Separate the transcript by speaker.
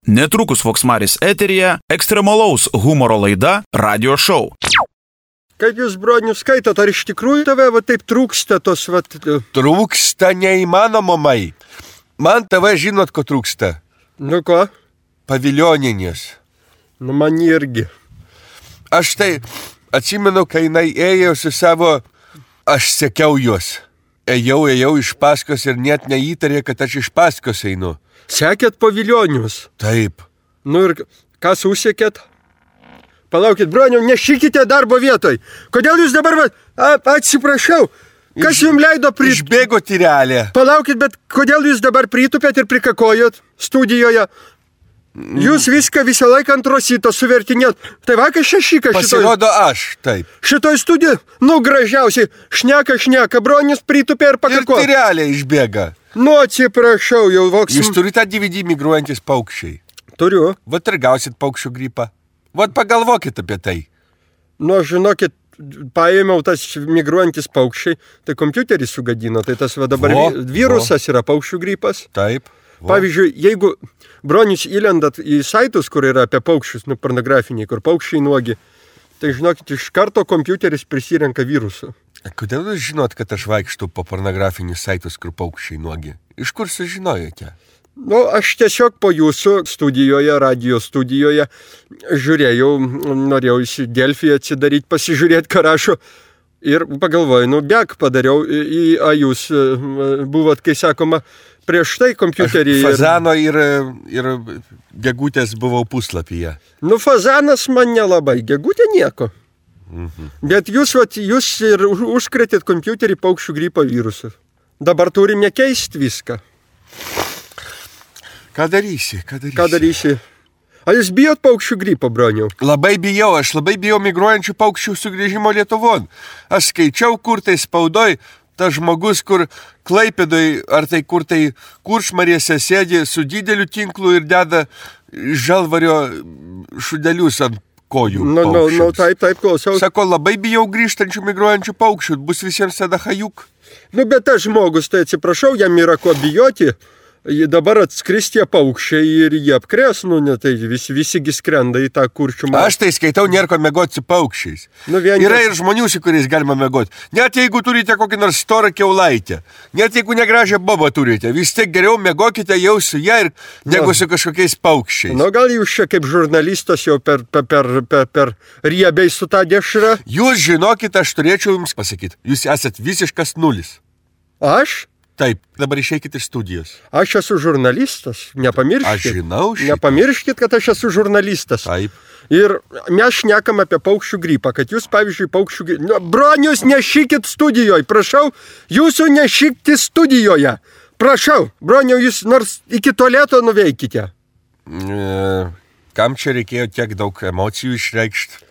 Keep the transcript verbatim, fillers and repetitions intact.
Speaker 1: Netrukus Voksmaris eteryje ekstremalaus humoro laida Radio Show.
Speaker 2: Kaip jūs, bronių, skaitot, ar iš tikrųjų tave va taip trūksta tos va...
Speaker 3: Trūksta neįmanomai. Man tave žinot, ko trūksta.
Speaker 2: Nu ko?
Speaker 3: Paviljoninės.
Speaker 2: Nu man irgi.
Speaker 3: Aš tai atsimenu, kai jinai ėjo su savo... Aš sekiau juos. Ėjau, ėjau iš paskos ir net neįtarė, kad aš iš paskos einu.
Speaker 2: Sekėt paviljonius?
Speaker 3: Taip.
Speaker 2: Nu ir kas užsekėt? Palaukit, bronių, nešykite darbo vietoj. Kodėl jūs dabar, va, a, atsiprašau, kas
Speaker 3: Iš,
Speaker 2: jums leido prit...
Speaker 3: Išbėgo tyrelė.
Speaker 2: Palaukit, bet kodėl jūs dabar pritupėt ir prikakojot studijoje? Jūs viską visą laiką ant rosito suvertinėt. Tai vakar šešikas šitoj...
Speaker 3: Pasirodo aš, taip.
Speaker 2: Šitoj studijoj, nu gražiausiai, šneka, šneka, bronius pritupė ir pakakojo.
Speaker 3: Ir tyrelė išbėga.
Speaker 2: Nu, atsiprašau, jau voks...
Speaker 3: Jūs turite D V D migruojantis paukščiai?
Speaker 2: Turiu.
Speaker 3: Vat ir gausit paukščių gripą. Vat pagalvokit apie tai.
Speaker 2: Nu, žinokit, paėmiau tas migruojantis paukščiai, tai kompiuterį sugadino, tai tas va dabar
Speaker 3: Vo,
Speaker 2: virusas
Speaker 3: vo.
Speaker 2: yra paukščių gripas.
Speaker 3: Taip. Vo.
Speaker 2: Pavyzdžiui, jeigu bronius įlendat į saitus, kur yra apie paukščius, nu, pornografiniai, kur paukščiai nuogi, tai žinokit, iš karto kompiuteris prisirenka virusų.
Speaker 3: Kodėl jūs žinot, kad aš vaikštų po pornografinius saitus, kur paukščiai nuogi? Iš kur sužinojote?
Speaker 2: Nu, aš tiesiog po jūsų studijoje, radio studijoje žiūrėjau, norėjau į Delfį atsidaryti, pasižiūrėti, ką rašo. Ir pagalvojau, nu, bėg padariau, į, a jūs buvot, kai sakoma, prieš tai kompiuterį.
Speaker 3: Aš fazano ir, ir gegutės buvau puslapyje.
Speaker 2: Nu, fazanas man nelabai, gegutė nieko.
Speaker 3: Mhm.
Speaker 2: Bet jūs, vat, jūs ir užkretėt kompiuterį paukščių gripo virusų. Dabar turime keisti viską.
Speaker 3: Ką darysi, ką darysi?
Speaker 2: Ką darysi? Ar jūs bijot paukščių gripo, broniau?
Speaker 3: Labai bijau, aš labai bijau migruojančių paukščių sugrįžimo Lietuvon. Aš skaičiau, kur tai spaudoj, tas žmogus, kur Klaipėdoj, ar tai kur tai Kuršmarėse sėdi su dideliu tinklu ir deda žalvario šudelius ant kojų.
Speaker 2: Nu, nu, nu, taip, taip, klausau.
Speaker 3: Sako, labai bijau grįžtančių migruojančių paukščių, bus visiems tada hajuk.
Speaker 2: Nu, bet tas žmogus, tai atsiprašau, jam yra ko bijoti. Dabar atskris tie paukščiai ir jie apkrės, nu, ne, tai visi, visigi skrenda į tą kurčių marą.
Speaker 3: Aš tai skaitau, nėra ko mėgoti su paukščiais.
Speaker 2: Nu, vien
Speaker 3: yra
Speaker 2: tas...
Speaker 3: ir žmonių, su kuriais galima mėgoti. Net jeigu turite kokį nors storą kiaulaitę, net jeigu negražią bobą turite, vis tiek geriau mėgokite jau su ją ir negu su kažkokiais paukščiais.
Speaker 2: Nu, gal jūs čia kaip žurnalistas jau per, per, per, per, per riebiai su tą dešrą?
Speaker 3: Jūs žinokit, aš turėčiau jums pasakyti, jūs esat visiškas nulis.
Speaker 2: Aš?
Speaker 3: Taip, dabar išeikit iš studijos.
Speaker 2: Aš esu žurnalistas, nepamirškit.
Speaker 3: Aš žinau šitą.
Speaker 2: Nepamirškit, kad aš esu žurnalistas.
Speaker 3: Taip.
Speaker 2: Ir mes šnekam apie paukščių gripą, kad jūs, pavyzdžiui, paukščių gripą... Nu, bronius, nešykit studijoje, prašau, jūsų nešykti studijoje. Prašau, broniau, jūs nors iki tualeto nuveikite.
Speaker 3: E, kam čia reikėjo tiek daug emocijų išreikšti?